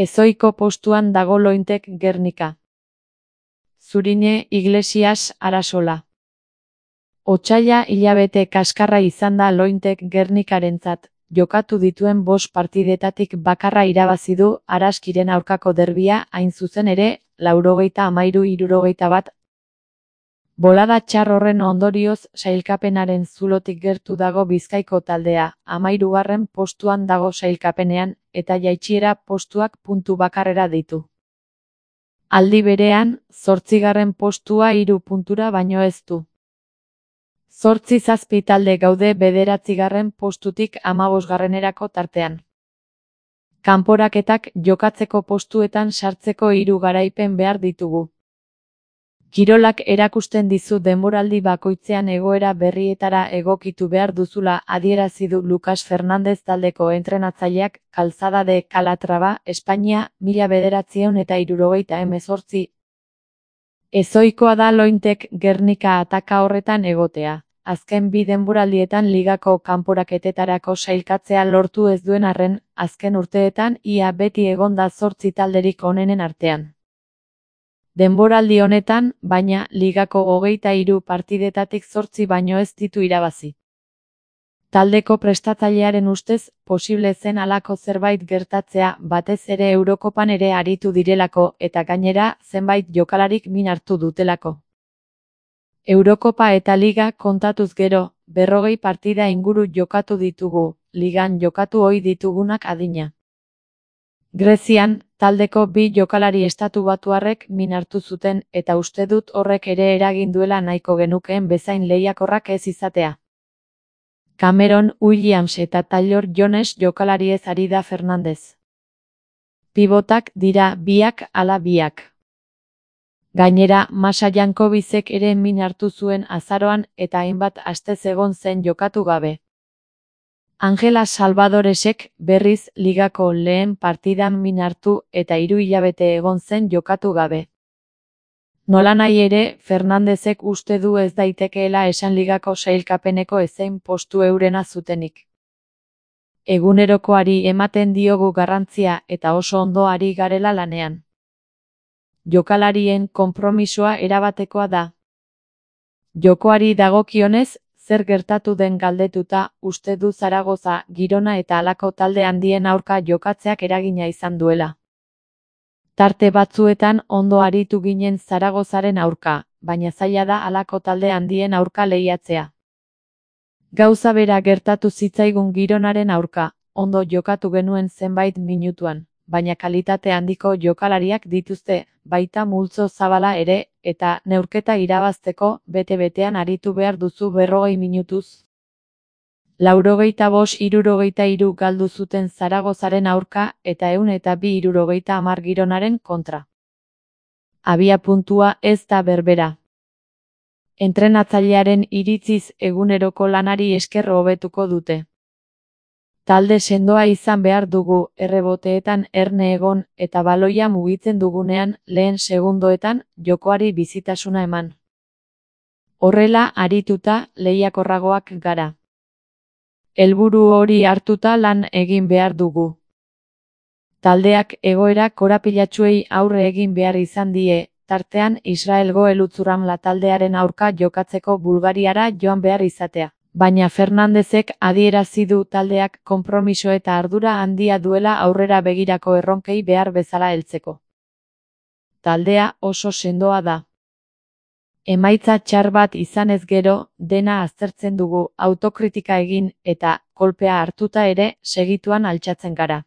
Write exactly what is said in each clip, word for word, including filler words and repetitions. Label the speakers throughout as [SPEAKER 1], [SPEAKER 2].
[SPEAKER 1] Ezohiko postuan dago Lointek Gernika. Zurine Iglesias Arasola. Otsaila hilabete kaskarra izan da Lointek Gernikarentzat, jokatu dituen bost partidetatik bakarra irabazi du Araskiren aurkako derbia, hain zuzen ere, laurogeita hamairu hirurogeita bat. Bolada txar horren ondorioz sailkapenaren zulotik gertu dago Bizkaiko taldea, hamahirugarren postuan dago sailkapenean, eta jaitsiera postuak puntu bakarrera ditu. Aldi berean, zortzigarren postua hiru puntura baino ez du. Zortzi zazpi talde gaude bederatzigarren postutik hamabosgarrenerako tartean. Kanporaketak jokatzeko postuetan sartzeko hiru garaipen behar ditugu. Kirolak erakusten dizu denboraldi bakoitzean egoera berrietara egokitu behar duzula adierazi du Lucas Fernandez taldeko entrenatzaileak Calzada de Calatrava, Espainia, mila bederatziehun eta hirurogeita hemezortzi. Ezohikoa da Lointek Gernika ataka horretan egotea. Azken bi denboraldietan ligako kanporaketetarako sailkatzea lortu ez duen arren, azken urteetan ia beti egon da zortzi talderik onenen artean. Denboraldi honetan, baina, ligako hogeita hiru partidetatik zortzi baino ez ditu irabazi. Taldeko prestatzailearen ustez, posible zen halako zerbait gertatzea, batez ere Eurokopan ere aritu direlako, eta gainera, zenbait jokalarik min hartu dutelako. Eurokopa eta Liga kontatuz gero, berrogei partida inguru jokatu ditugu, Ligan jokatu ohi ditugunak adina. Grezian, taldeko bi jokalari estatubatuarrek min hartu zuten, eta uste dut horrek ere eragin duela nahiko genukeen bezain lehiakorrak ez izatea. Cameron Williams eta Taylor Jones jokalariez ari da Fernandez. Pibotak dira biak ala biak. Gainera, Masa Jankovicek ere min hartu zuen azaroan eta hainbat astez egon zen jokatu gabe. Angela Salvadoresek berriz ligako lehen partidan min hartu eta hiru hilabete egon zen jokatu gabe. Nolanahi ere, Fernandezek uste du ez daitekeela esan ligako sailkapeneko ezein postu eurena zutenik. Egunerokoari ematen diogu garrantzia eta oso ondo ari garela lanean. Jokalarien konpromisoa erabatekoa da. Jokoari dagokionez, zer gertatu den galdetuta, uste du Zaragoza, Girona eta halako talde handien aurka jokatzeak eragina izan duela. Tarte batzuetan ondo aritu ginen Zaragozaren aurka, baina zaila da halako talde handien aurka lehiatzea. Gauza bera gertatu zitzaigun Gironaren aurka, ondo jokatu genuen zenbait minutuan, baina kalitate handiko jokalariak dituzte, baita multzo zabala ere, eta neurketa irabazteko bete-betean aritu behar duzu berrogei minutuz. Laurogeita bost hirurogeita hiru galdu zuten Zaragozaren aurka eta ehun eta bi hirurogeita hamar Gironaren kontra. Abia puntua ez da berbera. Entrenatzailearen iritziz eguneroko lanari esker hobetuko dute. Talde sendoa izan behar dugu, erreboteetan erne egon, eta baloia mugitzen dugunean, lehen segundoetan, jokoari bizitasuna eman. Horrela, arituta, lehiakorragoak gara. Helburu hori hartuta lan egin behar dugu. Taldeak egoera korapilatsuei aurre egin behar izan die, tartean Israelgo Elutzuramla taldearen aurka jokatzeko Bulgariara joan behar izatea. Baina Fernandezek adierazi du taldeak konpromiso eta ardura handia duela aurrera begirako erronkei behar bezala heltzeko. Taldea oso sendoa da. Emaitza txar bat izanez gero, dena aztertzen dugu, autokritika egin eta, kolpea hartuta ere, segituan altxatzen gara.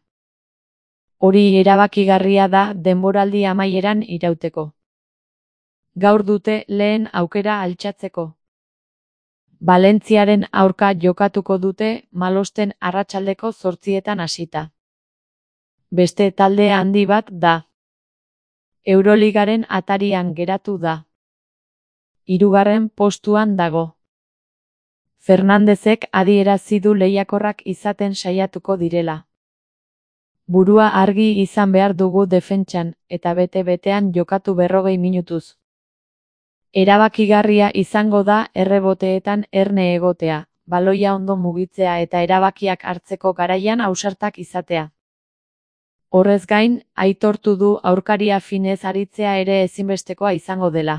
[SPEAKER 1] Hori erabakigarria da denboraldi amaieran irauteko. Gaur dute lehen aukera altxatzeko. Valentziaren aurka jokatuko dute Malosten arratsaldeko zortzietan hasita. Beste talde handi bat da. Euroligaren atarian geratu da. Hirugarren postuan dago. Fernandezek adierazi du lehiakorrak izaten saiatuko direla. Burua argi izan behar dugu defentsan eta bete-betean jokatu berrogei minutuz. Erabakigarria izango da erreboteetan erne egotea, baloia ondo mugitzea eta erabakiak hartzeko garaian ausartak izatea. Horrez gain, aitortu du aurkaria finez aritzea ere ezinbestekoa izango dela.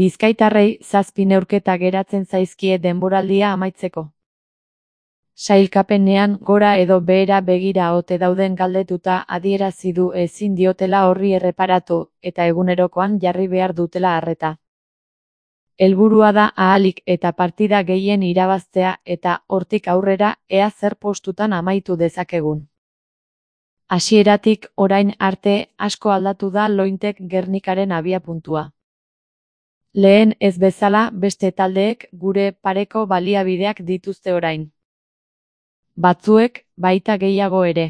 [SPEAKER 1] Bizkaitarrei zazpi neurketa geratzen zaizkie denboraldia amaitzeko. Sailkapenean gora edo behera begira ote dauden galdetuta adierazi du ezin diotela horri erreparatu eta egunerokoan jarri behar dutela arreta. Helburua da ahalik eta partida gehien irabaztea eta hortik aurrera ea zer postutan amaitu dezakegun. Hasieratik orain arte asko aldatu da Lointek Gernikaren abiapuntua. Lehen ez bezala beste taldeek gure pareko baliabideak dituzte orain. Batzuek baita gehiago ere.